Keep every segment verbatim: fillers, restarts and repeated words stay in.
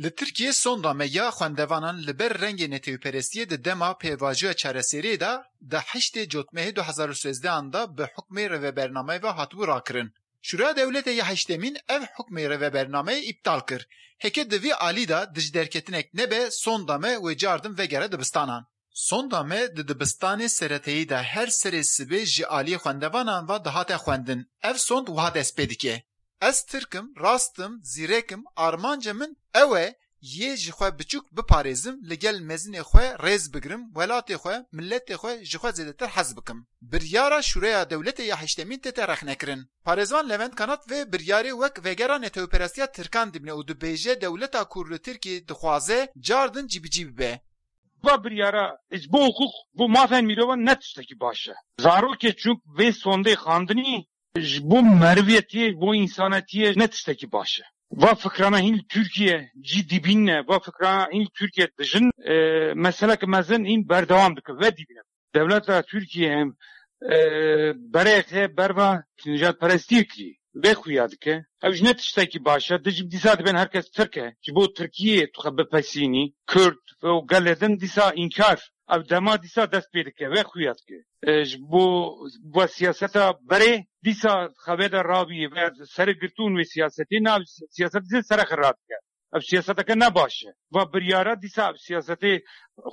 Li Tirkiyê sonda me ya xwendevanan li ber rengê netewperestiyê di dema pêvajoya çareseriyê de di heştê Cotmehê du hezar û sêzdeh an de bi hukmê rêvebernameyê ve hatibû rakirin. Şûreya Dewletê ya Heştemîn ev hukmê rêvebernameyê îptal kir. Heke di vî alî de dijderketinek nebe, sonda me wê cardin vegere dibistanan. Sonda me di dibistanê sereteyî de her serê sibê ji aliyê xwendevanan ve dihate xwendin. Ev sond wiha dest pê dike: Ez Tirk im, rast im, zîrek im, armanca min ew e, yê ji xwe biçûk biparêzim, li gel mezinê xwe rêz bigrim, welatê xwe, miletê xwe ji xwe zêdetir hez bikim. Biryara Şûreya Dewletê ya Heştemîn tête rexnekirin. Parêzvan Levent Kanat vê biryarê wek vegera netewperestiya Tirkan dibîne û dibêje dewleta ku li Tirkiyê dixwaze cardin cîbicî bibe. Va biryara ji bo hiqûq, bo mafên mirovan ne tiştekî baş e. Zarokê çûk vê sondê xandinî ji bo meriviyetiyê, ji bo însanetiyê ne tiştekî baş e. Va fikrana hîn li Tirkiye cî dibîne, va fikrana hîn li Tirkiye dijin, e, meseleke mezin hîn berdewam dike, ve dibîne. Dewleta Tirkiye hem, e, berê xe berva nijadperestiyê kirî. Vê xuya dike. Ew ji ne tiştekî baş e. Dijim dîsa dibên herkes Tirk e. Ji bo Tirkiyê tu xwe bipesînî, Kurd û gelê din dîsa înkar. Ev dema dîsa dest pê dike. Vê xuya dike. E, ji bo, bo siyaseta berê dîsa xevê de rabî ve serê girtûn wê siyasetê nav siyaset dîsa sere xira dike. Ev siyaseteke ne baş e. Va biryara dîsa ev siyasetê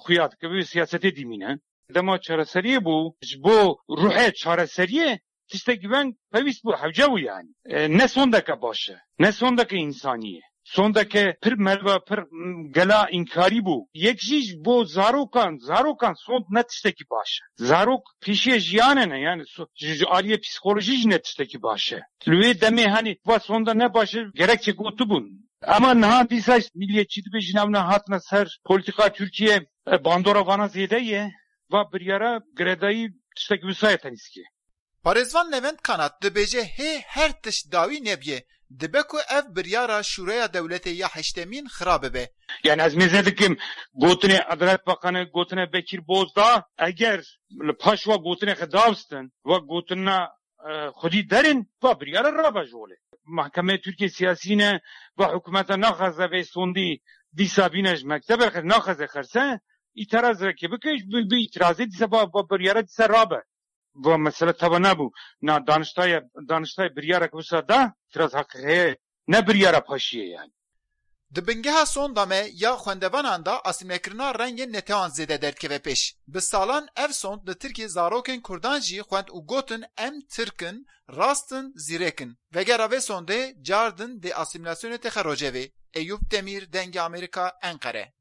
xuya dike. Vê siyasetê dîmîne. Dema çareseriyê bû, ji bo ruhê çareseriyê tiştekî veng pevîst bû, hewce bû yani. E, ne sondeke baş e, ne sondeke însanî ye. Sondeke pir merva, pir, m, gela înkarî bû. Yek jî ji bo zarokan, zarokan sond ne tiştekî baş e. Zarok pêşiye jiyanê ne, yani so-, ji, ji aliyê psîkolojî jî ne tiştekî baş e. Li wê demê hani va sonda ne baş e, gerekçe gotibûn. Ama niha dîsa milliyetçî dibe, ji nav ne hatine ser polîtîka Tirkiye, e, bandora vana zêde ye. Va biryara girêdayî tiştekî wisa ye tenîskî. Parêzvan Levent Kanat dibêje hê her tişt dawî nebîye, dibe ku ev biryara Şûreya Dewletê ya Heştemîn xira bibe. Yani ez mêze dikim, gotinê Edalet Bakanı, gotinê Bekir Bozdağ, eger li paş wa gotinê xwe davstin, wa gotina, e, xwedî derin, va biryara rabe ji holê. Mahkemeyê Tirkiye siyasî ne, va hikûmeta naxwaze vê sondî dîsa bîne ji mektebê, naxwaze xerse, îtiraz reke bike, bi, bi îtirazê dîsa va, va biryara dîsa rabe. Va mesele teva nebû. Na daniştayê, daniştayê biryarek wisa da, îtiraz heqî heye, ne biryara paşiyê yani. Di bingeha sonda me ya xwendevanan de asîmlekirina rengên netewan zêde derdikeve pêş. Bi salan ev sond li Tirkiyê zarokên Kurdan jî xwend û gotin, em Tirk in, rast in, zîrek in. Vegera vê sondê cardin dê asîmlasyonê têxe rojevê. Eyûp Demîr, Dengê Amerîka, Enqere.